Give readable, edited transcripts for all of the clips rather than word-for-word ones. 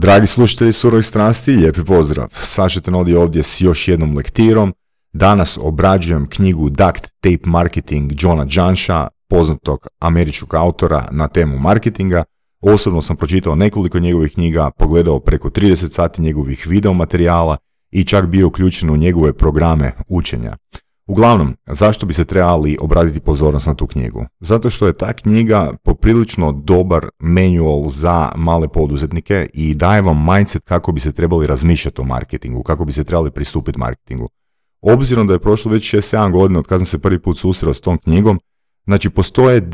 Dragi slušatelji Surovih strasti, lijepi pozdrav. Saša Tenodi ovdje s još jednom lektirom. Danas obrađujem knjigu Duct Tape Marketing Johna Jansha, poznatog američkog autora na temu marketinga. Osobno sam pročitao nekoliko njegovih knjiga, pogledao preko 30 sati njegovih video materijala i čak bio uključen u njegove programe učenja. Uglavnom, zašto bi se trebali obratiti pozornost na tu knjigu? Zato što je ta knjiga poprilično dobar manual za male poduzetnike i daje vam mindset kako bi se trebali razmišljati o marketingu, kako bi se trebali pristupiti marketingu. Obzirom da je prošlo već 6-7 godina od kad sam se prvi put susreo s tom knjigom, znači postoje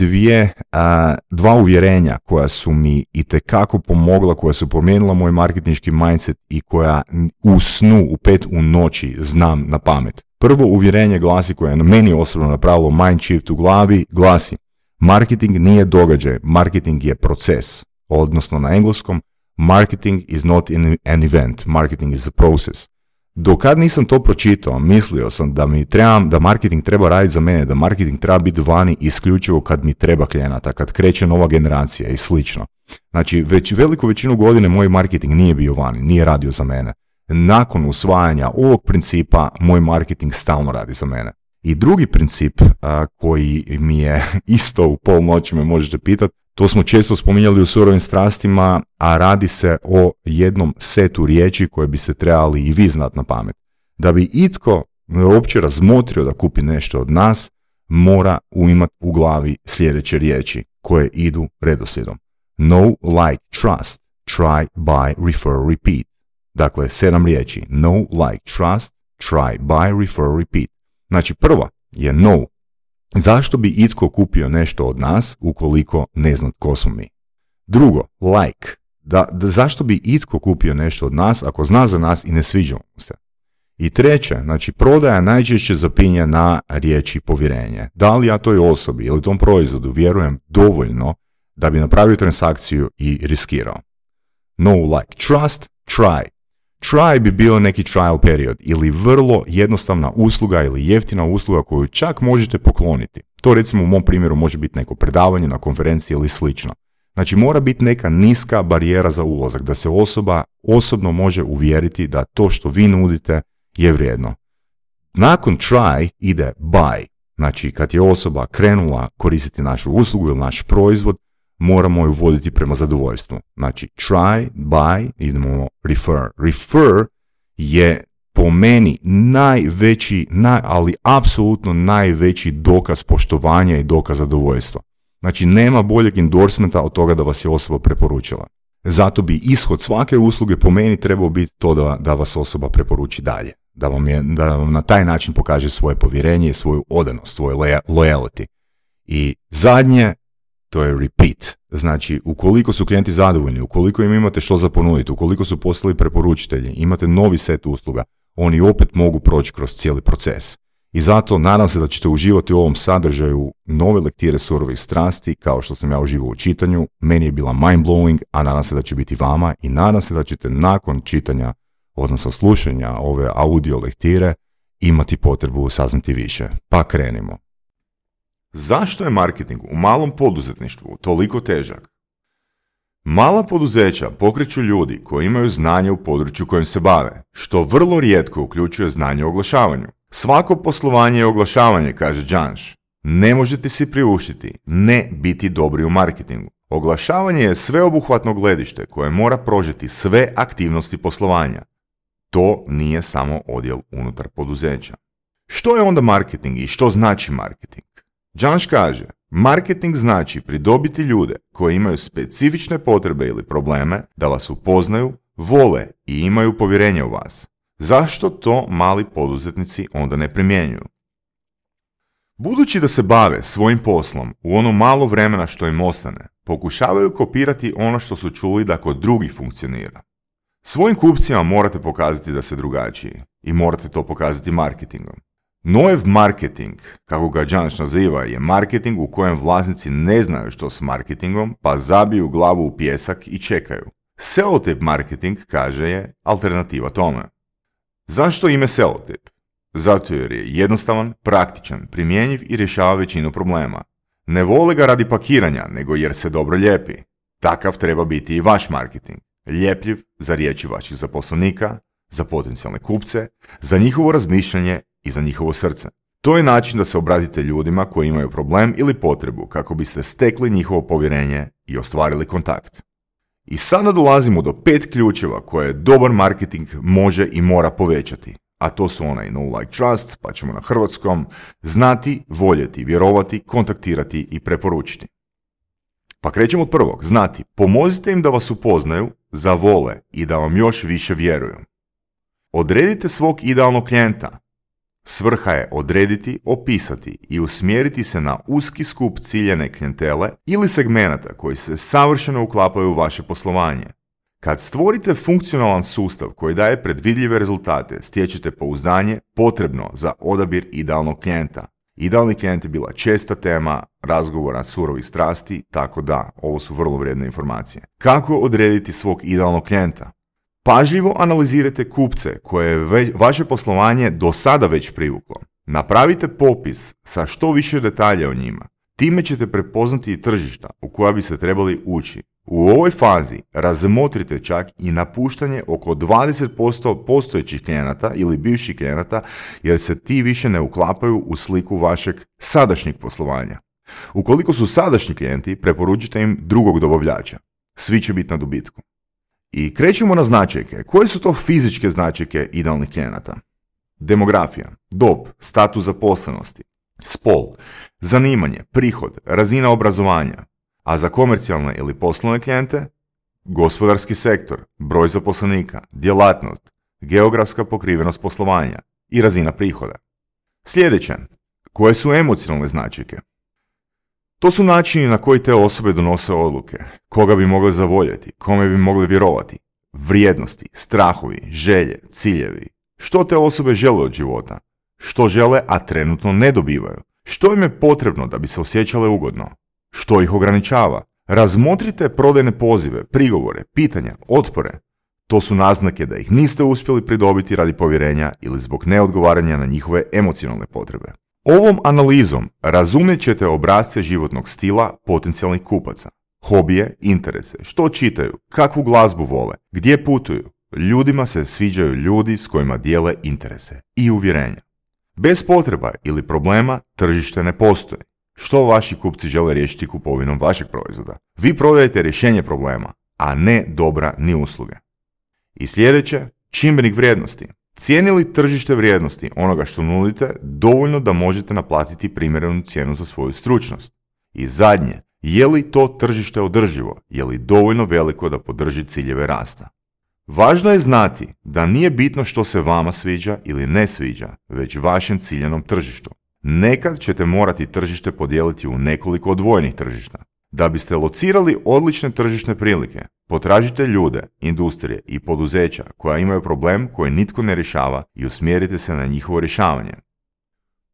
dva uvjerenja koja su mi itekako pomogla, koja su promijenila moj marketinški mindset i koja u snu u 5 u noći znam na pamet. Prvo uvjerenje glasi, koje je meni osobno napravilo mind shift u glavi, glasi: marketing nije događaj, marketing je proces. Odnosno na engleskom, marketing is not an event, marketing is a process. Dokad nisam to pročitao, mislio sam da marketing treba raditi za mene, da marketing treba biti vani isključivo kad mi treba klijenata, kad kreće nova generacija i slično. Znači, već veliku većinu godine moj marketing nije bio vani, nije radio za mene. Nakon usvajanja ovog principa, moj marketing stalno radi za mene. I drugi princip koji mi je isto u pol noći me možete pitati, to smo često spominjali u Surovim strastima, a radi se o jednom setu riječi koje bi se trebali i vi znati na pamet. Da bi itko uopće razmotrio da kupi nešto od nas, mora imati u glavi sljedeće riječi koje idu redoslijedom. Know, like, trust, try, buy, refer, repeat. Dakle, 7 riječi. Know, like, trust, try, buy, refer, repeat. Znači, prva je know. Zašto bi itko kupio nešto od nas ukoliko ne zna tko smo mi? Drugo, like. Zašto bi itko kupio nešto od nas ako zna za nas i ne sviđa mu se? I treće, znači prodaja najčešće zapinja na riječi povjerenje. Da li ja toj osobi ili tom proizvodu vjerujem dovoljno da bi napravio transakciju i riskirao? Know, like, trust, try. Try bi bio neki trial period ili vrlo jednostavna usluga ili jeftina usluga koju čak možete pokloniti. To recimo u mom primjeru može biti neko predavanje na konferenciji ili slično. Znači mora biti neka niska barijera za ulazak, da se osoba osobno može uvjeriti da to što vi nudite je vrijedno. Nakon try ide buy. Znači kad je osoba krenula koristiti našu uslugu ili naš proizvod, moramo ju voditi prema zadovoljstvu. Znači, try, buy, idemo refer. Refer je po meni najveći, ali apsolutno najveći dokaz poštovanja i dokaz zadovoljstva. Znači, nema boljeg endorsementa od toga da vas je osoba preporučila. Zato bi ishod svake usluge po meni trebao biti to da vas osoba preporuči dalje. Da vam na taj način pokaže svoje povjerenje, svoju odanost, svoj loyalty. I zadnje, to je repeat. Znači, ukoliko su klijenti zadovoljni, ukoliko im imate što za ponuditi, ukoliko su postali preporučitelji, imate novi set usluga, oni opet mogu proći kroz cijeli proces. I zato nadam se da ćete uživati u ovom sadržaju nove lektire Surovih strasti, kao što sam ja uživao u čitanju. Meni je bila mind-blowing, a nadam se da će biti vama i nadam se da ćete nakon čitanja, odnosno slušanja ove audio lektire, imati potrebu saznati više. Pa krenimo. Zašto je marketing u malom poduzetništvu toliko težak? Mala poduzeća pokreću ljudi koji imaju znanje u području kojim se bave, što vrlo rijetko uključuje znanje o oglašavanju. Svako poslovanje je oglašavanje, kaže Jansh. Ne možete si priuštiti ne biti dobri u marketingu. Oglašavanje je sveobuhvatno gledište koje mora prožeti sve aktivnosti poslovanja. To nije samo odjel unutar poduzeća. Što je onda marketing i što znači marketing? Jansh kaže, marketing znači pridobiti ljude koji imaju specifične potrebe ili probleme da vas upoznaju, vole i imaju povjerenje u vas. Zašto to mali poduzetnici onda ne primjenjuju? Budući da se bave svojim poslom u ono malo vremena što im ostane, pokušavaju kopirati ono što su čuli da kod drugih funkcionira. Svojim kupcima morate pokazati da ste drugačiji i morate to pokazati marketingom. Noev marketing, kako ga Jansh naziva, je marketing u kojem vlasnici ne znaju što s marketingom, pa zabiju glavu u pijesak i čekaju. Sellotape marketing, kaže, je alternativa tome. Zašto ime sellotape? Zato jer je jednostavan, praktičan, primjenjiv i rješava većinu problema. Ne vole ga radi pakiranja, nego jer se dobro lijepi. Takav treba biti i vaš marketing. ljepljiv za riječi vaših zaposlenika, za potencijalne kupce, za njihovo razmišljanje i za njihovo srce. To je način da se obratite ljudima koji imaju problem ili potrebu kako biste stekli njihovo povjerenje i ostvarili kontakt. I sada dolazimo do 5 ključeva koje dobar marketing može i mora povećati. A to su onaj know, like, trust, pa ćemo na hrvatskom, znati, voljeti, vjerovati, kontaktirati i preporučiti. Pa krećemo od prvog, znati. Pomozite im da vas upoznaju, zavole i da vam još više vjeruju. Odredite svog idealnog klijenta. Svrha je odrediti, opisati i usmjeriti se na uski skup ciljane klijentele ili segmenata koji se savršeno uklapaju u vaše poslovanje. Kad stvorite funkcionalan sustav koji daje predvidljive rezultate, stječete pouzdanje potrebno za odabir idealnog klijenta. Idealni klijent je bila česta tema razgovora surovih strasti, tako da, ovo su vrlo vrijedne informacije. Kako odrediti svog idealnog klijenta? Pažljivo analizirajte kupce koje je vaše poslovanje do sada već privuklo. Napravite popis sa što više detalja o njima. Time ćete prepoznati i tržišta u koja bi se trebali ući. U ovoj fazi razmotrite čak i napuštanje oko 20% postojećih klijenata ili bivših klijenata jer se ti više ne uklapaju u sliku vašeg sadašnjeg poslovanja. Ukoliko su sadašnji klijenti, preporučite im drugog dobavljača. Svi će biti na dobitku. I krećemo na značajke. Koje su to fizičke značajke idealnih klijenata? Demografija, dob, status zaposlenosti, spol, zanimanje, prihod, razina obrazovanja, a za komercijalne ili poslovne klijente, gospodarski sektor, broj zaposlenika, djelatnost, geografska pokrivenost poslovanja i razina prihoda. Sljedeće, koje su emocionalne značajke? To su načini na koji te osobe donose odluke, koga bi mogle zavoljeti, kome bi mogle vjerovati, vrijednosti, strahovi, želje, ciljevi. Što te osobe žele od života? Što žele, a trenutno ne dobivaju? Što im je potrebno da bi se osjećale ugodno? Što ih ograničava? Razmotrite prodajne pozive, prigovore, pitanja, otpore. To su naznake da ih niste uspjeli pridobiti radi povjerenja ili zbog neodgovaranja na njihove emocionalne potrebe. Ovom analizom razumjet ćete obrasce životnog stila potencijalnih kupaca, hobije, interese, što čitaju, kakvu glazbu vole, gdje putuju. Ljudima se sviđaju ljudi s kojima dijele interese i uvjerenja. Bez potreba ili problema tržište ne postoji. Što vaši kupci žele riješiti kupovinom vašeg proizvoda? Vi prodajete rješenje problema, a ne dobra ni usluge. I sljedeće, čimbenik vrijednosti. Cijeni li tržište vrijednosti onoga što nudite dovoljno da možete naplatiti primjerenu cijenu za svoju stručnost? I zadnje, je li to tržište održivo? Je li dovoljno veliko da podrži ciljeve rasta? Važno je znati da nije bitno što se vama sviđa ili ne sviđa, već vašem ciljanom tržištu. Nekad ćete morati tržište podijeliti u nekoliko odvojenih tržišta. Da biste locirali odlične tržišne prilike, potražite ljude, industrije i poduzeća koja imaju problem koji nitko ne rješava i usmjerite se na njihovo rješavanje.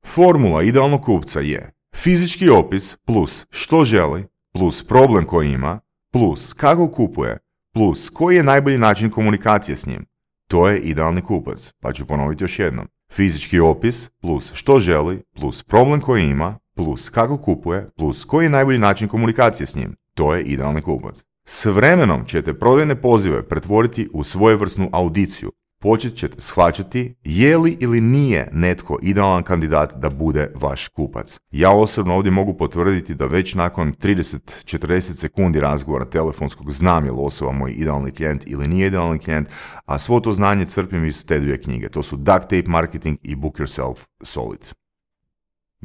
Formula idealnog kupca je fizički opis plus što želi, plus problem koji ima, plus kako kupuje, plus koji je najbolji način komunikacije s njim. To je idealni kupac, pa ću ponoviti još jednom. Fizički opis plus što želi, plus problem koji ima, plus kako kupuje, plus koji je najbolji način komunikacije s njim. To je idealni kupac. S vremenom ćete prodajne pozive pretvoriti u svojevrsnu audiciju. Počet ćete shvaćati je li ili nije netko idealan kandidat da bude vaš kupac. Ja osobno ovdje mogu potvrditi da već nakon 30-40 sekundi razgovora telefonskog znam je li osoba moj idealni klijent ili nije idealni klijent, a svo to znanje crpim iz te dvije knjige. To su Duct Tape Marketing i Book Yourself Solid.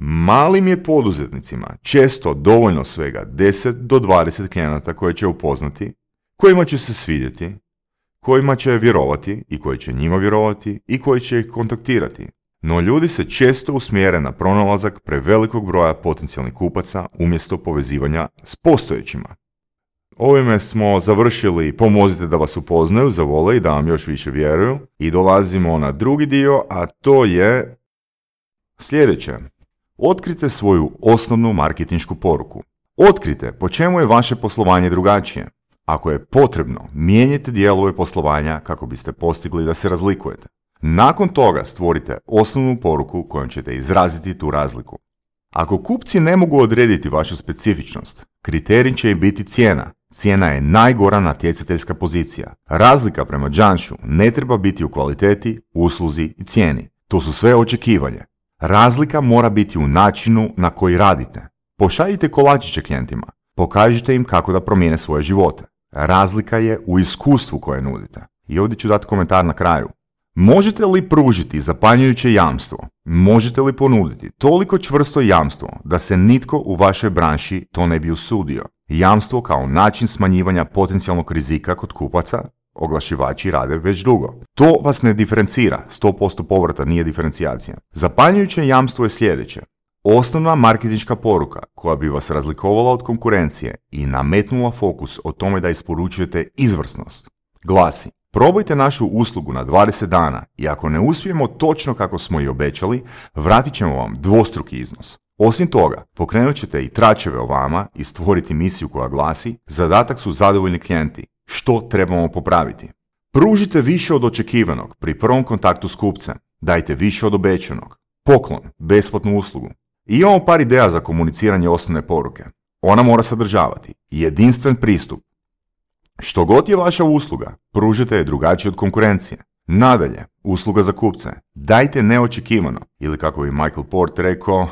Malim je poduzetnicima često dovoljno svega 10 do 20 klijenata koje će upoznati, kojima će se svidjeti, kojima će vjerovati i koji će njima vjerovati i koji će ih kontaktirati. No ljudi se često usmjere na pronalazak prevelikog broja potencijalnih kupaca umjesto povezivanja s postojećima. Ovime smo završili pomozite da vas upoznaju, zavole i da vam još više vjeruju i dolazimo na drugi dio, a to je sljedeće. Otkrite svoju osnovnu marketinšku poruku. Otkrite po čemu je vaše poslovanje drugačije. Ako je potrebno, mijenjajte dijelove poslovanja kako biste postigli da se razlikujete. Nakon toga stvorite osnovnu poruku kojom ćete izraziti tu razliku. Ako kupci ne mogu odrediti vašu specifičnost, kriterij će im biti cijena. Cijena je najgora natjecateljska pozicija. Razlika prema Janšu ne treba biti u kvaliteti, usluzi i cijeni. To su sve očekivanje. Razlika mora biti u načinu na koji radite. Pošaljite kolačiće klijentima. Pokažite im kako da promijene svoje živote. Razlika je u iskustvu koje nudite. I ovdje ću dati komentar na kraju. Možete li pružiti zapanjujuće jamstvo? Možete li ponuditi toliko čvrsto jamstvo da se nitko u vašoj branši to ne bi usudio? Jamstvo kao način smanjivanja potencijalnog rizika kod kupaca oglašivači rade već dugo. To vas ne diferencira, 100% povrata nije diferencijacija. Zapanjujuće jamstvo je sljedeće. Osnovna marketinška poruka koja bi vas razlikovala od konkurencije i nametnula fokus o tome da isporučujete izvrsnost glasi: probajte našu uslugu na 20 dana i ako ne uspijemo točno kako smo i obećali, vratit ćemo vam dvostruki iznos. Osim toga, pokrenut ćete i tračeve o vama i stvoriti misiju koja glasi: zadatak su zadovoljni klijenti. Što trebamo popraviti? Pružite više od očekivanog pri prvom kontaktu s kupcem. Dajte više od obećanog. Poklon, besplatnu uslugu. I imamo par ideja za komuniciranje osnovne poruke. Ona mora sadržavati jedinstven pristup. Što god je vaša usluga, pružite je drugačije od konkurencije. Nadalje, usluga za kupce. Dajte neočekivano, ili kako bi Michael Port rekao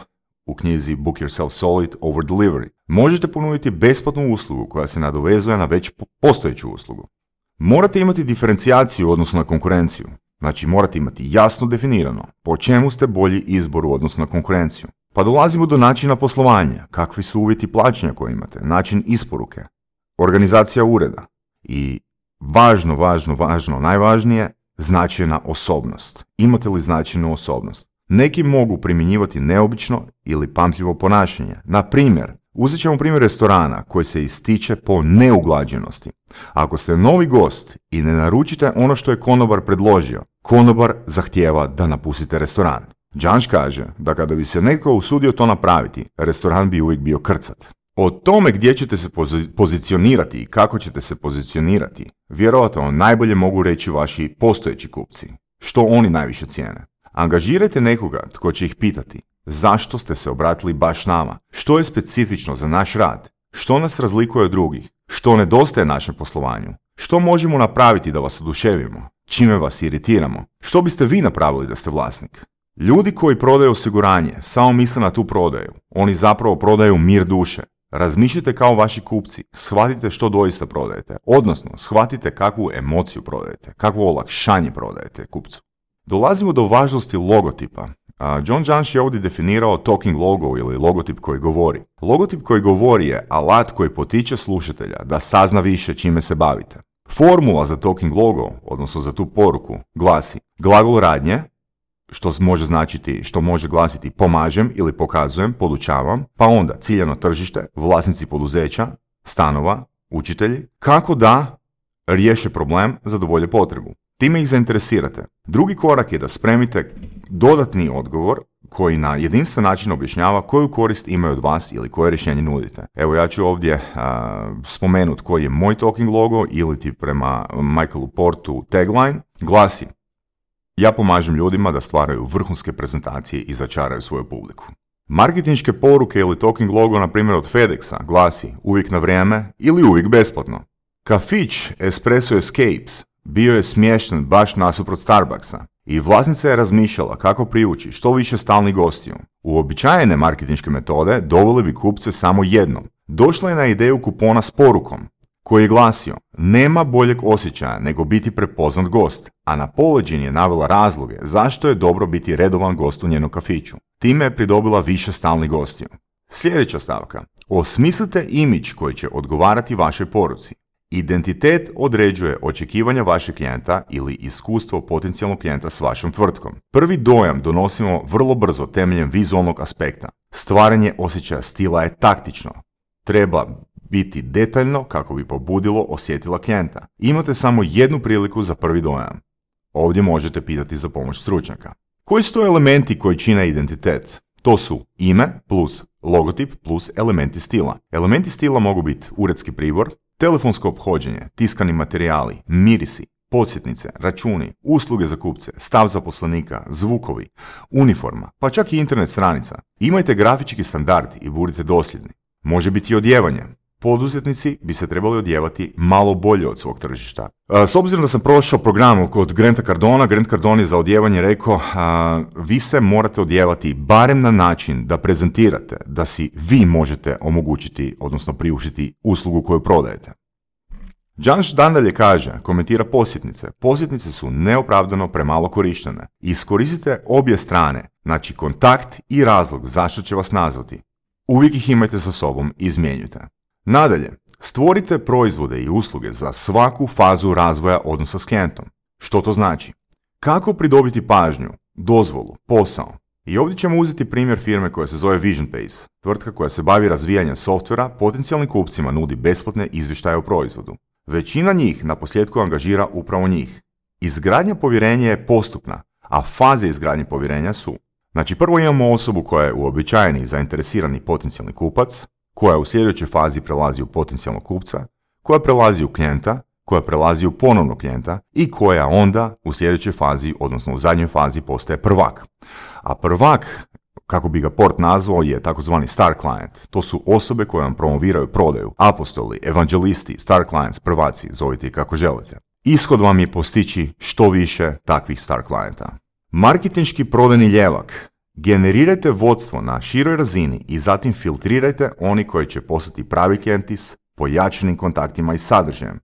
u knjizi Book Yourself Solid over Delivery. Možete ponuditi besplatnu uslugu koja se nadovezuje na već postojeću uslugu. Morate imati diferencijaciju u odnosu na konkurenciju. Znači morate imati jasno definirano po čemu ste bolji izbor u odnosu na konkurenciju. Pa dolazimo do načina poslovanja, kakvi su uvjeti plaćanja koje imate, način isporuke, organizacija ureda i važno, najvažnije, značajna osobnost. Imate li značajnu osobnost? Neki mogu primjenjivati neobično ili pamtljivo ponašanje. Na primjer, uzet ćemo primjer restorana koji se ističe po neuglađenosti. Ako ste novi gost i ne naručite ono što je konobar predložio, konobar zahtijeva da napustite restoran. Janš kaže da kada bi se netko usudio to napraviti, restoran bi uvijek bio krcat. O tome gdje ćete se pozicionirati i kako ćete se pozicionirati, vjerojatno najbolje mogu reći vaši postojeći kupci. Što oni najviše cijene? Angažirajte nekoga tko će ih pitati zašto ste se obratili baš nama, što je specifično za naš rad, što nas razlikuje od drugih, što nedostaje našem poslovanju, što možemo napraviti da vas oduševimo, čime vas iritiramo, što biste vi napravili da ste vlasnik. Ljudi koji prodaju osiguranje samo misle na tu prodaju, oni zapravo prodaju mir duše. Razmišljajte kao vaši kupci, shvatite što doista prodajete, odnosno shvatite kakvu emociju prodajete, kakvo olakšanje prodajete kupcu. Dolazimo do važnosti logotipa. John Janš je ovdje definirao talking logo ili logotip koji govori. Logotip koji govori je alat koji potiče slušatelja da sazna više čime se bavite. Formula za talking logo, odnosno za tu poruku, glasi glagol radnje, što može glasiti pomažem ili pokazujem, podučavam, pa onda ciljano tržište, vlasnici poduzeća, stanova, učitelji, kako da riješe problem, zadovolje potrebu. Time ih zainteresirate. Drugi korak je da spremite dodatni odgovor koji na jedinstven način objašnjava koju korist imaju od vas ili koje rješenje nudite. Evo ja ću ovdje spomenuti koji je moj talking logo ili ti prema Michaelu Portu tagline. Glasi: ja pomažem ljudima da stvaraju vrhunske prezentacije i začaraju svoju publiku. Marketinške poruke ili talking logo, na primjer od FedExa, glasi uvijek na vrijeme ili uvijek besplatno. Kafić Espresso Escapes bio je smješten baš nasuprot Starbucksa i vlasnica je razmišljala kako privući što više stalnih gostiju. Uobičajene marketinške metode dovele bi kupce samo jednom. Došla je na ideju kupona s porukom koji je glasio: nema boljeg osjećaja nego biti prepoznat gost, a na poleđini je navela razloge zašto je dobro biti redovan gost u njenom kafiću. Time je pridobila više stalnih gostiju. Sljedeća stavka. Osmislite imidž koji će odgovarati vašoj poruci. Identitet određuje očekivanja vašeg klijenta ili iskustvo potencijalnog klijenta s vašom tvrtkom. Prvi dojam donosimo vrlo brzo temeljem vizualnog aspekta. Stvaranje osjećaja stila je taktično. Treba biti detaljno kako bi pobudilo osjetila klijenta. Imate samo jednu priliku za prvi dojam. Ovdje možete pitati za pomoć stručnjaka. Koji su to elementi koji čine identitet? To su ime plus logotip plus elementi stila. Elementi stila mogu biti uredski pribor, telefonsko ophođenje, tiskani materijali, mirisi, podsjetnice, računi, usluge za kupce, stav zaposlenika, zvukovi, uniforma, pa čak i internet stranica. Imajte grafički standard i budite dosljedni. Može biti i odjevanje. poduzetnici bi se trebali odjevati malo bolje od svog tržišta. S obzirom da sam prošao program kod Granta Cardona, Grant Cardone je za odjevanje rekao vi se morate odjevati barem na način da prezentirate da si vi možete omogućiti, odnosno priuštiti uslugu koju prodajete. Janš nadalje kaže, komentira posjetnice. Posjetnice su neopravdano premalo korištene. Iskoristite obje strane, znači kontakt i razlog zašto će vas nazvati. Uvijek ih imajte sa sobom i izmjenjujte. Nadalje, stvorite proizvode i usluge za svaku fazu razvoja odnosa s klijentom. Što to znači? Kako pridobiti pažnju, dozvolu, posao? I ovdje ćemo uzeti primjer firme koja se zove VisionPace. Tvrtka koja se bavi razvijanjem softvera potencijalnim kupcima nudi besplatne izvještaje o proizvodu. Većina njih na posljedku angažira upravo njih. Izgradnja povjerenja je postupna, a faze izgradnje povjerenja su: znači prvo imamo osobu koja je uobičajeni i zainteresirani potencijalni kupac, koja u sljedećoj fazi prelazi u potencijalnog kupca, koja prelazi u klijenta, koja prelazi u ponovnog klijenta i koja onda u sljedećoj fazi, odnosno u zadnjoj fazi, postaje prvak. A prvak, kako bi ga Port nazvao, je takozvani star client. To su osobe koje vam promoviraju prodaju, apostoli, evangelisti, star clients, prvaci, zovite ih kako želite. Ishod vam je postići što više takvih star clienta. Marketinški prodajni ljevak. Generirajte vodstvo na široj razini i zatim filtrirajte oni koji će postati pravi klijenti s pojačanim kontaktima i sadržajem.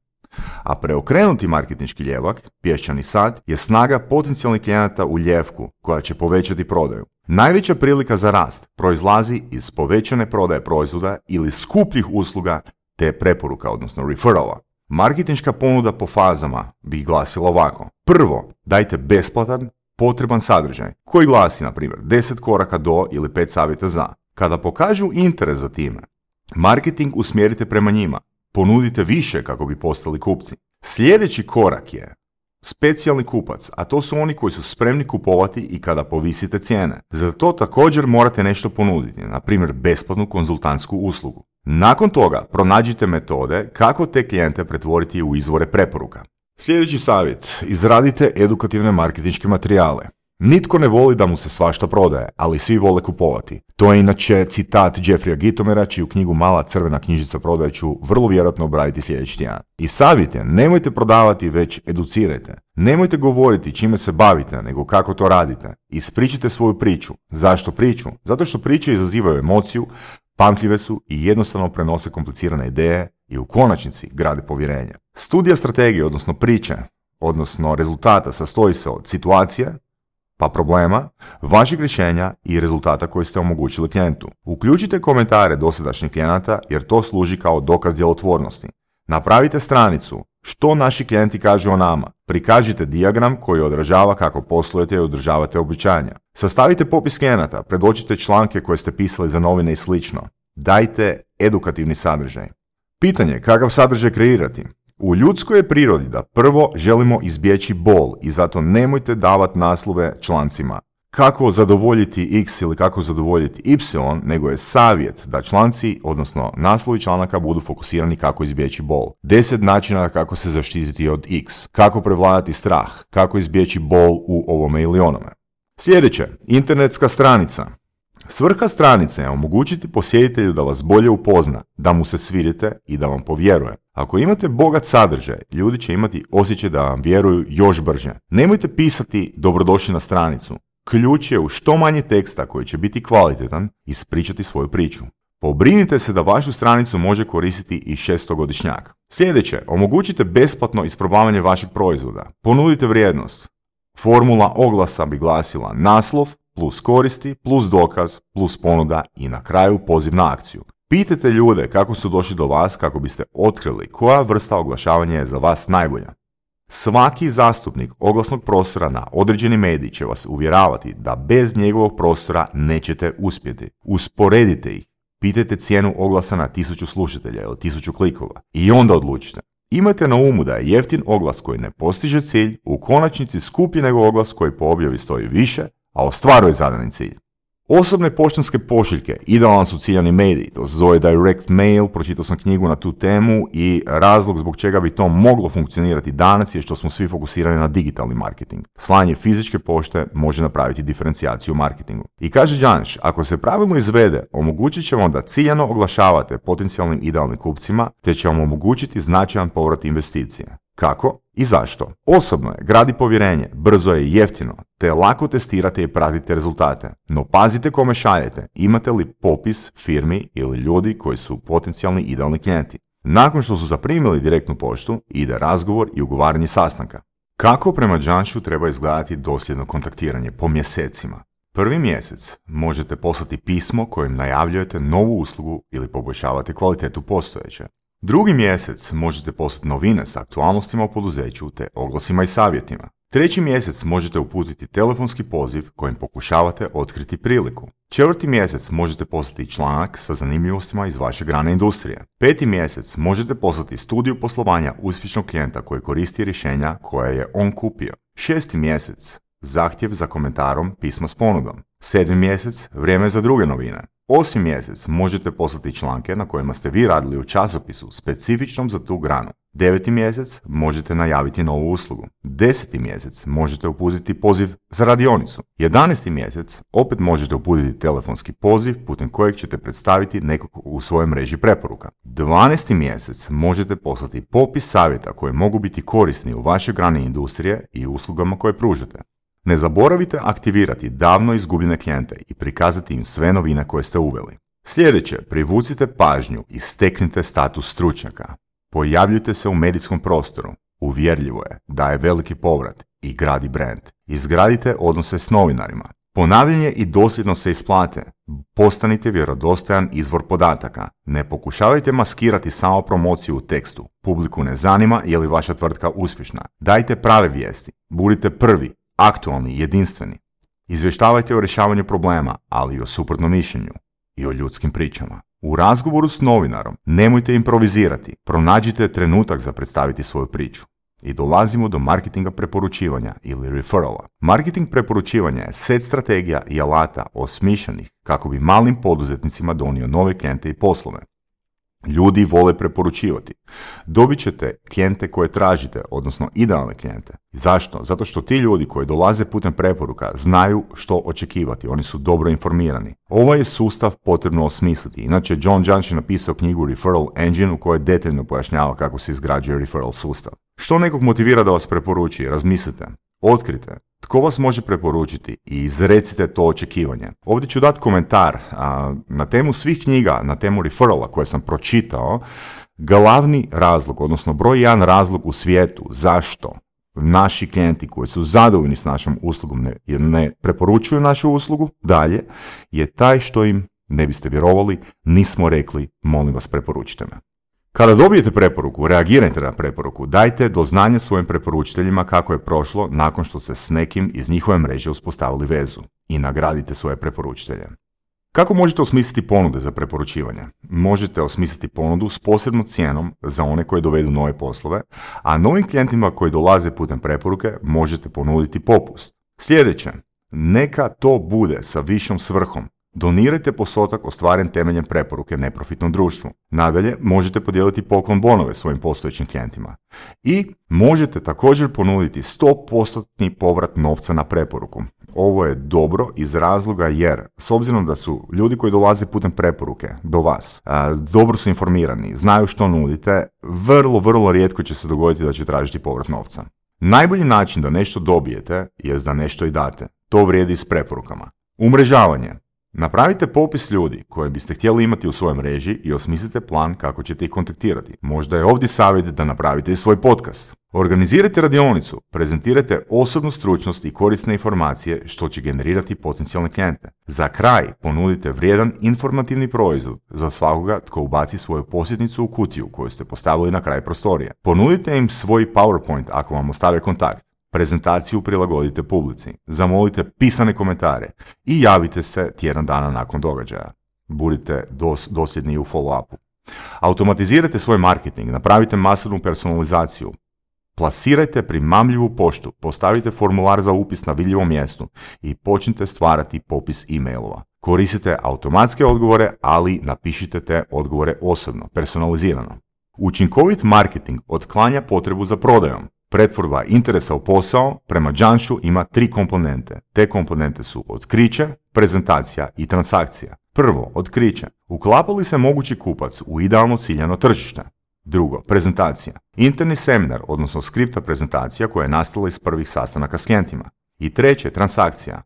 A preokrenuti marketinški ljevak, pješčani sat, je snaga potencijalnih klijenata u ljevku koja će povećati prodaju. Najveća prilika za rast proizlazi iz povećane prodaje proizvoda ili skupljih usluga te preporuka, odnosno referrala. Marketinška ponuda po fazama bi glasila ovako. Prvo, dajte besplatan, potreban sadržaj koji glasi, na primjer, 10 koraka do ili 5 savjeta za. Kada pokažu interes za time, marketing usmjerite prema njima. Ponudite više kako bi postali kupci. Sljedeći korak je specijalni kupac, a to su oni koji su spremni kupovati i kada povisite cijene. Za to također morate nešto ponuditi, na primjer besplatnu konzultantsku uslugu. Nakon toga pronađite metode kako te klijente pretvoriti u izvore preporuka. Sljedeći savjet, izradite edukativne marketinške materijale. Nitko ne voli da mu se svašta prodaje, ali svi vole kupovati. To je inače citat Jeffreya Gittomera, čiju knjigu Mala crvena knjižica prodaje ću vrlo vjerojatno obraditi sljedeći tjedan. I savjet je, nemojte prodavati, već educirajte. Nemojte govoriti čime se bavite, nego kako to radite. Ispričite svoju priču. Zašto priču? Zato što priče izazivaju emociju, pamtljive su i jednostavno prenose komplicirane ideje i u konačnici grade povjerenje. Studija strategije, odnosno priče, odnosno rezultata, sastoji se od situacije, pa problema, vašeg rješenja i rezultata koji ste omogućili klijentu. Uključite komentare dosadašnjih klijenata jer to služi kao dokaz djelotvornosti. Napravite stranicu što naši klijenti kažu o nama. Prikažite dijagram koji odražava kako poslujete i održavate obećanja. Sastavite popis klijenata, predočite članke koje ste pisali za novine i slično. Dajte edukativni sadržaj. Pitanje, kakav sadržaj kreirati? U ljudskoj je prirodi da prvo želimo izbjeći bol i zato nemojte davati naslove člancima kako zadovoljiti X ili kako zadovoljiti Y, nego je savjet da članci, odnosno naslovi članaka, budu fokusirani kako izbjeći bol. 10 načina kako se zaštititi od X, kako prevladati strah, kako izbjeći bol u ovome ili onome. Sljedeće, internetska stranica. Svrha stranice je omogućiti posjetitelju da vas bolje upozna, da mu se svidite i da vam povjeruje. Ako imate bogat sadržaj, ljudi će imati osjećaj da vam vjeruju još brže. Nemojte pisati dobrodošli na stranicu. Ključ je u što manje teksta koji će biti kvalitetan ispričati svoju priču. Pobrinite se da vašu stranicu može koristiti i 6-godišnjak. Sljedeće, omogućite besplatno isprobavanje vašeg proizvoda. Ponudite vrijednost. Formula oglasa bi glasila naslov plus koristi, plus dokaz, plus ponuda i na kraju poziv na akciju. Pitajte ljude kako su došli do vas kako biste otkrili koja vrsta oglašavanja je za vas najbolja. Svaki zastupnik oglasnog prostora na određeni medij će vas uvjeravati da bez njegovog prostora nećete uspjeti. Usporedite ih. Pitajte cijenu oglasa na 1000 slušatelja ili 1000 klikova i onda odlučite. Imajte na umu da je jeftin oglas koji ne postiže cilj u konačnici skuplji nego oglas koji po objavi stoji više, a ostvaruje zadani cilj. Osobne poštanske pošiljke, idealan su ciljani mediji, to se zove direct mail, pročitao sam knjigu na tu temu i razlog zbog čega bi to moglo funkcionirati danas je što smo svi fokusirani na digitalni marketing. Slanje fizičke pošte može napraviti diferencijaciju u marketingu. I kaže Janš, ako se pravilno izvede, omogućit će vam da ciljano oglašavate potencijalnim idealnim kupcima, te će vam omogućiti značajan povrat investicije. Kako i zašto? Osobno je, gradi povjerenje, brzo je i jeftino, te lako testirate i pratite rezultate. No pazite kome šaljete, imate li popis firmi ili ljudi koji su potencijalni idealni klijenti. Nakon što su zaprimili direktnu poštu, ide razgovor i ugovaranje sastanka. Kako prema Janšu treba izgledati dosljedno kontaktiranje po mjesecima? Prvi mjesec možete poslati pismo kojim najavljujete novu uslugu ili poboljšavate kvalitetu postojeće. Drugi mjesec možete poslati novine s aktualnostima u poduzeću te oglasima i savjetima. Treći mjesec možete uputiti telefonski poziv kojim pokušavate otkriti priliku. Četvrti mjesec možete poslati članak sa zanimljivostima iz vaše grane industrije. Peti mjesec možete poslati studiju poslovanja uspješnog klijenta koji koristi rješenja koje je on kupio. Šesti mjesec zahtjev za komentarom pisma s ponudom. Sedmi mjesec vrijeme za druge novine. Osmi mjesec možete poslati članke na kojima ste vi radili u časopisu specifičnom za tu granu. Deveti mjesec možete najaviti novu uslugu. 10. mjesec možete uputiti poziv za radionicu. 11. mjesec opet možete uputiti telefonski poziv putem kojeg ćete predstaviti nekog u svojoj mreži preporuka. 12. mjesec možete poslati popis savjeta koji mogu biti korisni u vašoj grani industrije i uslugama koje pružate. Ne zaboravite aktivirati davno izgubljene klijente i prikazati im sve novine koje ste uveli. Sljedeće, privucite pažnju i steknite status stručnjaka. Pojavljujte se u medijskom prostoru. Uvjerljivo je, daje veliki povrat i gradi brand. Izgradite odnose s novinarima. Ponavljanje i dosljedno se isplate. Postanite vjerodostojan izvor podataka. Ne pokušavajte maskirati samo promociju u tekstu. Publiku ne zanima je li vaša tvrtka uspješna. Dajte prave vijesti. Budite prvi, aktualni, jedinstveni. Izvještavajte o rješavanju problema, ali i o suprotnom mišljenju i o ljudskim pričama. U razgovoru s novinarom nemojte improvizirati, pronađite trenutak za predstaviti svoju priču. I dolazimo do marketinga preporučivanja ili referrala. Marketing preporučivanja je set strategija i alata osmišljenih kako bi malim poduzetnicima donio nove klijente i poslove. Ljudi vole preporučivati. Dobit ćete klijente koje tražite, odnosno idealne klijente. Zašto? Zato što ti ljudi koji dolaze putem preporuka znaju što očekivati, oni su dobro informirani. Ovaj je sustav potrebno osmisliti. Inače, John Janš je napisao knjigu Referral Engine u kojoj detaljno pojašnjava kako se izgrađuje referral sustav. Što nekog motivira da vas preporuči? Razmislite. Otkrite tko vas može preporučiti i izrecite to očekivanje. Ovdje ću dati komentar na temu svih knjiga, na temu referrala koje sam pročitao. Glavni razlog, odnosno broj 1 razlog u svijetu zašto naši klijenti koji su zadovoljni s našom uslugom ne preporučuju našu uslugu dalje, je taj što im, ne biste vjerovali, nismo rekli molim vas preporučite me. Kada dobijete preporuku, reagirajte na preporuku, dajte do znanja svojim preporučiteljima kako je prošlo nakon što ste s nekim iz njihove mreže uspostavili vezu i nagradite svoje preporučitelje. Kako možete osmisliti ponude za preporučivanje? Možete osmisliti ponudu s posebnom cijenom za one koji dovedu nove poslove, a novim klijentima koji dolaze putem preporuke možete ponuditi popust. Sljedeće, neka to bude sa višom svrhom. Donirajte postotak ostvaren temeljem preporuke neprofitnom društvu. Nadalje, možete podijeliti poklon bonove svojim postojećim klijentima. I možete također ponuditi 100% povrat novca na preporuku. Ovo je dobro iz razloga jer, s obzirom da su ljudi koji dolaze putem preporuke do vas, dobro su informirani, znaju što nudite, vrlo rijetko će se dogoditi da će tražiti povrat novca. Najbolji način da nešto dobijete je da nešto i date. To vrijedi s preporukama. Umrežavanje. Napravite popis ljudi koje biste htjeli imati u svojoj mreži i osmislite plan kako ćete ih kontaktirati. Možda je ovdje savjet da napravite i svoj podcast. Organizirajte radionicu, prezentirajte osobnu stručnost i korisne informacije što će generirati potencijalne klijente. Za kraj ponudite vrijedan informativni proizvod za svakoga tko ubaci svoju posjetnicu u kutiju koju ste postavili na kraj prostorije. Ponudite im svoj PowerPoint ako vam ostave kontakt. Prezentaciju prilagodite publici, zamolite pisane komentare i javite se tjedan dana nakon događaja. Budite dosljedni u follow-upu. Automatizirajte svoj marketing, napravite masovnu personalizaciju, plasirajte primamljivu poštu, postavite formular za upis na vidljivom mjestu i počnite stvarati popis e-mailova. Koristite automatske odgovore, ali napišite te odgovore osobno, personalizirano. Učinkovit marketing otklanja potrebu za prodajom. Pretvorba interesa u posao prema Janšu ima 3 komponente. Te komponente su otkriće, prezentacija i transakcija. Prvo, otkriće. Uklapa li se mogući kupac u idealno ciljano tržište? Drugo, prezentacija. Interni seminar, odnosno skripta prezentacija koja je nastala iz prvih sastanaka s klijentima. I treće, transakcija.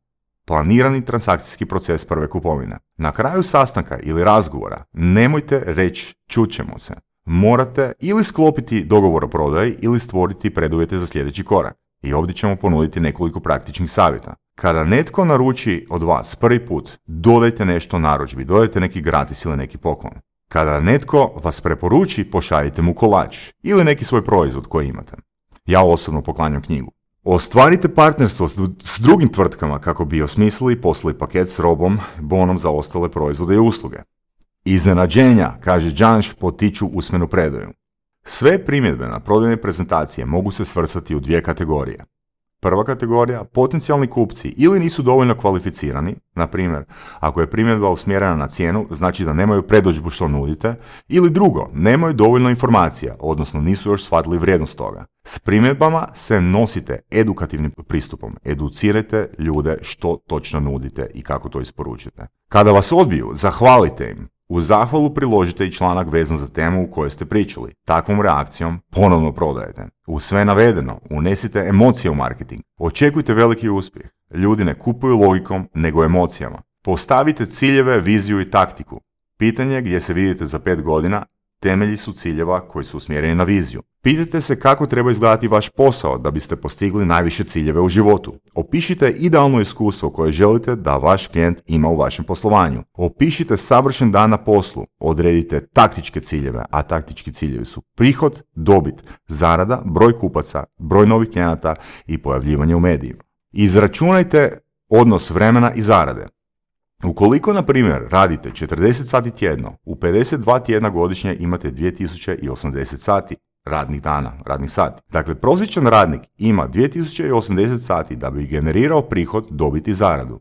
Planirani transakcijski proces prve kupovine. Na kraju sastanka ili razgovora nemojte reći čućemo se. Morate ili sklopiti dogovor o prodaji ili stvoriti preduvjete za sljedeći korak. I ovdje ćemo ponuditi nekoliko praktičnih savjeta. Kada netko naruči od vas prvi put, dodajte nešto narudžbi, dodajte neki gratis ili neki poklon. Kada netko vas preporuči, pošaljite mu kolač ili neki svoj proizvod koji imate. Ja osobno poklanjam knjigu. Ostvarite partnerstvo s drugim tvrtkama kako bi osmislili i poslali paket s robom, bonom za ostale proizvode i usluge. Iznenađenja, kaže Janš, potiču usmenu predaju. Sve primjedbe na prodajne prezentacije mogu se svrstati u 2 kategorije. Prva kategorija, potencijalni kupci ili nisu dovoljno kvalificirani, na primjer, ako je primjedba usmjerena na cijenu, znači da nemaju predodžbu što nudite, ili drugo, nemaju dovoljno informacija, odnosno nisu još shvatili vrijednost toga. S primjedbama se nosite edukativnim pristupom, educirajte ljude što točno nudite i kako to isporučite. Kada vas odbiju, zahvalite im. U zahvalu priložite i članak vezan za temu u kojoj ste pričali. Takvom reakcijom ponovno prodajete. U sve navedeno unesite emocije u marketing. Očekujte veliki uspjeh. Ljudi ne kupuju logikom, nego emocijama. Postavite ciljeve, viziju i taktiku. Pitanje gdje se vidite za 5 godina temelji su ciljeva koji su usmjereni na viziju. Pitajte se kako treba izgledati vaš posao da biste postigli najviše ciljeve u životu. Opišite idealno iskustvo koje želite da vaš klijent ima u vašem poslovanju. Opišite savršen dan na poslu. Odredite taktičke ciljeve, a taktički ciljevi su prihod, dobit, zarada, broj kupaca, broj novih klijenata i pojavljivanje u medijima. Izračunajte odnos vremena i zarade. Ukoliko, na primjer, radite 40 sati tjedno, u 52 tjedna godišnje imate 2080 sati radnih dana, radnih sati. Dakle, prosječan radnik ima 2080 sati da bi generirao prihod, dobit i zaradu.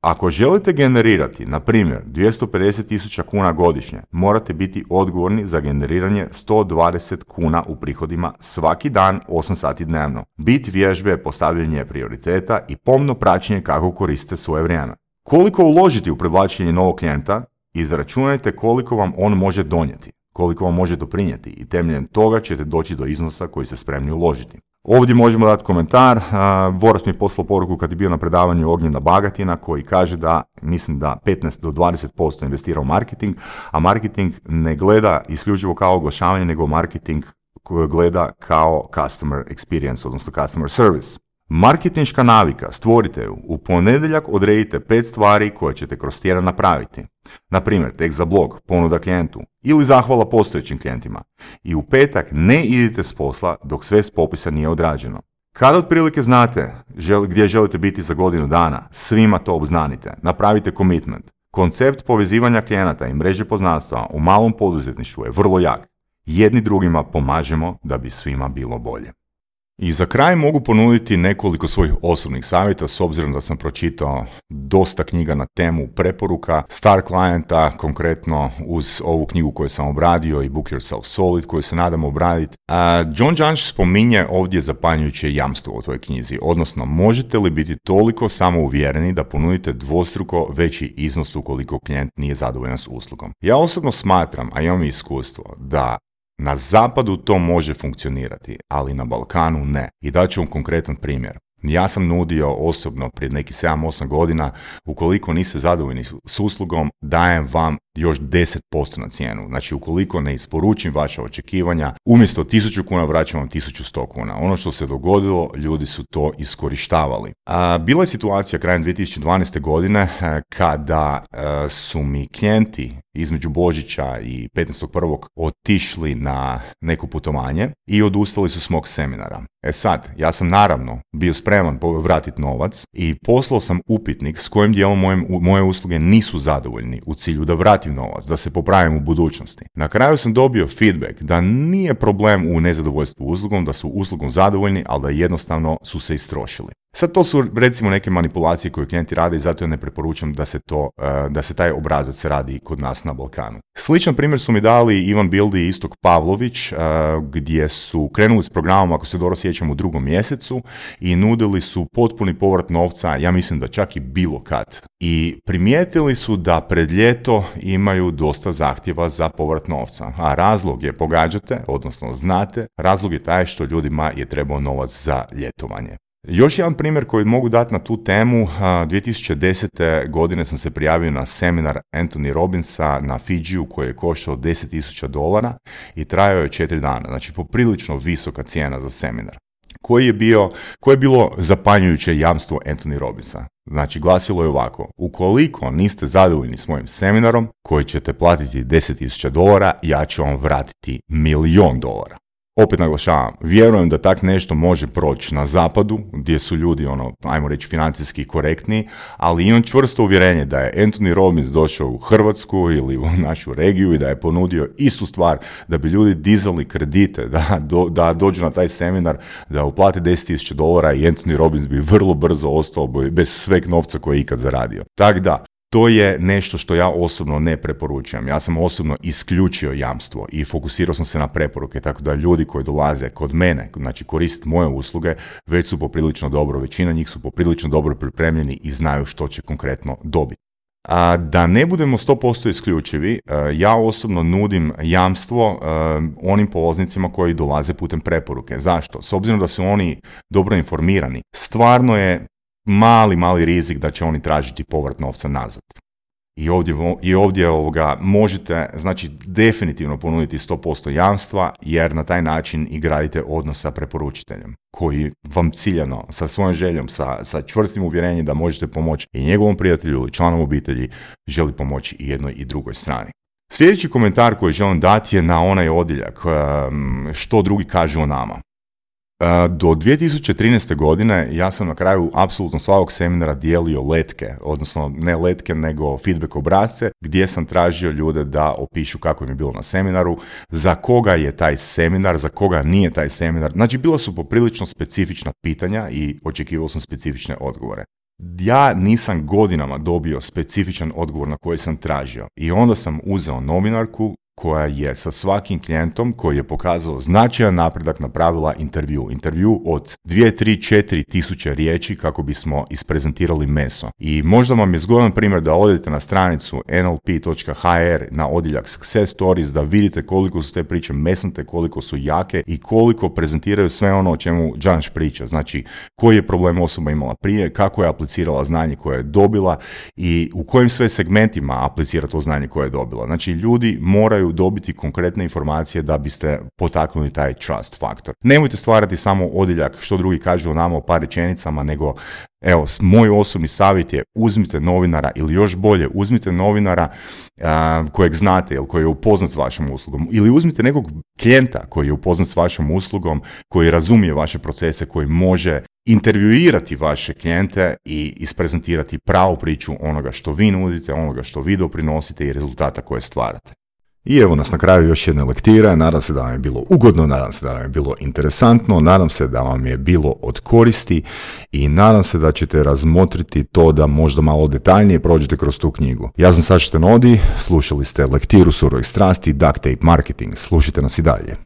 Ako želite generirati, na primjer, 250.000 kuna godišnje, morate biti odgovorni za generiranje 120 kuna u prihodima svaki dan 8 sati dnevno. Bit vježbe je postavljanje prioriteta i pomno praćenje kako koristite svoje vrijeme. Koliko uložiti u privlačenje novog klijenta, izračunajte koliko vam on može donijeti, koliko vam može doprinijeti i temeljem toga ćete doći do iznosa koji ste spremni uložiti. Ovdje možemo dati komentar. Voras mi je poslao poruku kad je bio na predavanju Ognjena Bagatina koji kaže da, mislim da 15 do 20% investira u marketing, a marketing ne gleda isključivo kao oglašavanje, nego marketing gleda kao customer experience, odnosno customer service. Marketinška navika, stvorite ju. U ponedjeljak odredite 5 stvari koje ćete kroz tjedan napraviti. Na primjer, tekst za blog, ponuda klijentu ili zahvala postojećim klijentima. I u petak ne idite s posla dok sve s popisa nije odrađeno. Kada otprilike znate gdje želite biti za godinu dana, svima to obznanite. Napravite commitment. Koncept povezivanja klijenata i mreže poznanstva u malom poduzetništvu je vrlo jak. Jedni drugima pomažemo da bi svima bilo bolje. I za kraj mogu ponuditi nekoliko svojih osobnih savjeta s obzirom da sam pročitao dosta knjiga na temu preporuka star klijenta, konkretno uz ovu knjigu koju sam obradio i Book Yourself Solid koju se nadam obraditi. John Janš spominje ovdje zapanjujuće jamstvo u tvojoj knjizi, odnosno možete li biti toliko samouvjereni da ponudite dvostruko veći iznos ukoliko klijent nije zadovoljan s uslugom. Ja osobno smatram, a imam iskustvo, da na zapadu to može funkcionirati, ali na Balkanu ne. I daću vam konkretan primjer. Ja sam nudio osobno prije nekih 7-8 godina, ukoliko niste zadovoljni s uslugom, dajem vam još 10% na cijenu. Znači, ukoliko ne isporučim vaša očekivanja, umjesto 1000 kuna vraćam vam 1100 kuna. Ono što se dogodilo, ljudi su to iskorištavali. Bila je situacija krajem 2012. godine kada su mi klijenti između Božića i 15.1. otišli na neko putovanje i odustali su s mog seminara. Sad, ja sam naravno bio spreman vratiti novac i poslao sam upitnik s kojim dijelom moje usluge nisu zadovoljni u cilju da vratim novac, da se popravim u budućnosti. Na kraju sam dobio feedback da nije problem u nezadovoljstvu uslugom, da su uslugom zadovoljni, ali da jednostavno su se istrošili. Sad to su recimo neke manipulacije koje klijenti rade i zato ja ne preporučam da se taj obrazac radi kod nas na Balkanu. Sličan primjer su mi dali Ivan Bildi i Istok Pavlović, gdje su krenuli s programom, ako se dobro sjećam, u 2. mjesecu i nudili su potpuni povrat novca, ja mislim da čak i bilo kad. I primijetili su da pred ljeto imaju dosta zahtjeva za povrat novca, a razlog je, pogađate, odnosno znate, razlog je taj što ljudima je trebao novac za ljetovanje. Još jedan primjer koji mogu dati na tu temu, 2010. godine sam se prijavio na seminar Anthony Robbinsa na Fidžiju koji je koštao $10,000 i trajao je 4 dana, znači poprilično visoka cijena za seminar. Koje je bilo zapanjujuće jamstvo Anthony Robbinsa? Znači, glasilo je ovako: ukoliko niste zadovoljni s mojim seminarom koji ćete platiti $10,000, ja ću vam vratiti $1,000,000. Opet naglašavam, vjerujem da tak nešto može proći na zapadu, gdje su ljudi, ajmo reći, financijski korektni, ali imam čvrsto uvjerenje da je Anthony Robbins došao u Hrvatsku ili u našu regiju i da je ponudio istu stvar, da bi ljudi dizali kredite, da dođu na taj seminar, da uplate $10,000 i Anthony Robbins bi vrlo brzo ostao bez sveg novca koje je ikad zaradio. Tako da, to je nešto što ja osobno ne preporučujem. Ja sam osobno isključio jamstvo i fokusirao sam se na preporuke, tako da ljudi koji dolaze kod mene, znači koristiti moje usluge, već su poprilično dobro, većina njih su poprilično dobro pripremljeni i znaju što će konkretno dobiti. A da ne budemo 100% isključivi, ja osobno nudim jamstvo onim polaznicima koji dolaze putem preporuke. Zašto? S obzirom da su oni dobro informirani, stvarno je mali rizik da će oni tražiti povrat novca nazad. I ovdje možete, znači, definitivno ponuditi 100% jamstva, jer na taj način i gradite odnos sa preporučiteljem, koji vam ciljano, sa svojom željom, sa čvrstim uvjerenjem da možete pomoći i njegovom prijatelju ili članom obitelji, želi pomoći i jednoj i drugoj strani. Sljedeći komentar koji želim dati je na onaj odjeljak, što drugi kažu o nama. Do 2013. godine ja sam na kraju apsolutno svakog seminara dijelio letke, odnosno ne letke nego feedback obrasce, gdje sam tražio ljude da opišu kako im je bilo na seminaru, za koga je taj seminar, za koga nije taj seminar. Znači, bila su poprilično specifična pitanja i očekivao sam specifične odgovore. Ja nisam godinama dobio specifičan odgovor na koji sam tražio i onda sam uzeo novinarku koja je sa svakim klijentom koji je pokazao značajan napredak napravila intervju od 2, 3, 4 tisuće riječi kako bismo isprezentirali meso. I možda vam je zgodan primjer da odete na stranicu nlp.hr na odjeljak Success Stories, da vidite koliko su te priče mesnate, koliko su jake i koliko prezentiraju sve ono o čemu Džanš priča. Znači, koji je problem osoba imala prije, kako je aplicirala znanje koje je dobila i u kojim sve segmentima aplicira to znanje koje je dobila. Znači, ljudi moraju dobiti konkretne informacije da biste potaknuli taj trust faktor. Nemojte stvarati samo odjeljak što drugi kažu o nama u par rečenicama, nego evo, moj osobni savjet je uzmite novinara ili još bolje, uzmite novinara kojeg znate ili koji je upoznat s vašom uslugom ili uzmite nekog klijenta koji je upoznat s vašom uslugom, koji razumije vaše procese, koji može intervjuirati vaše klijente i isprezentirati pravu priču onoga što vi nudite, onoga što vi doprinosite i rezultata koje stvarate. I evo nas na kraju još jedne lektire, nadam se da vam je bilo ugodno, nadam se da vam je bilo interesantno, nadam se da vam je bilo od koristi i nadam se da ćete razmotriti to da možda malo detaljnije prođete kroz tu knjigu. Ja sam Saša Tenodi, slušali ste lektiru Surovih strasti, Duct Tape Marketing, slušajte nas i dalje.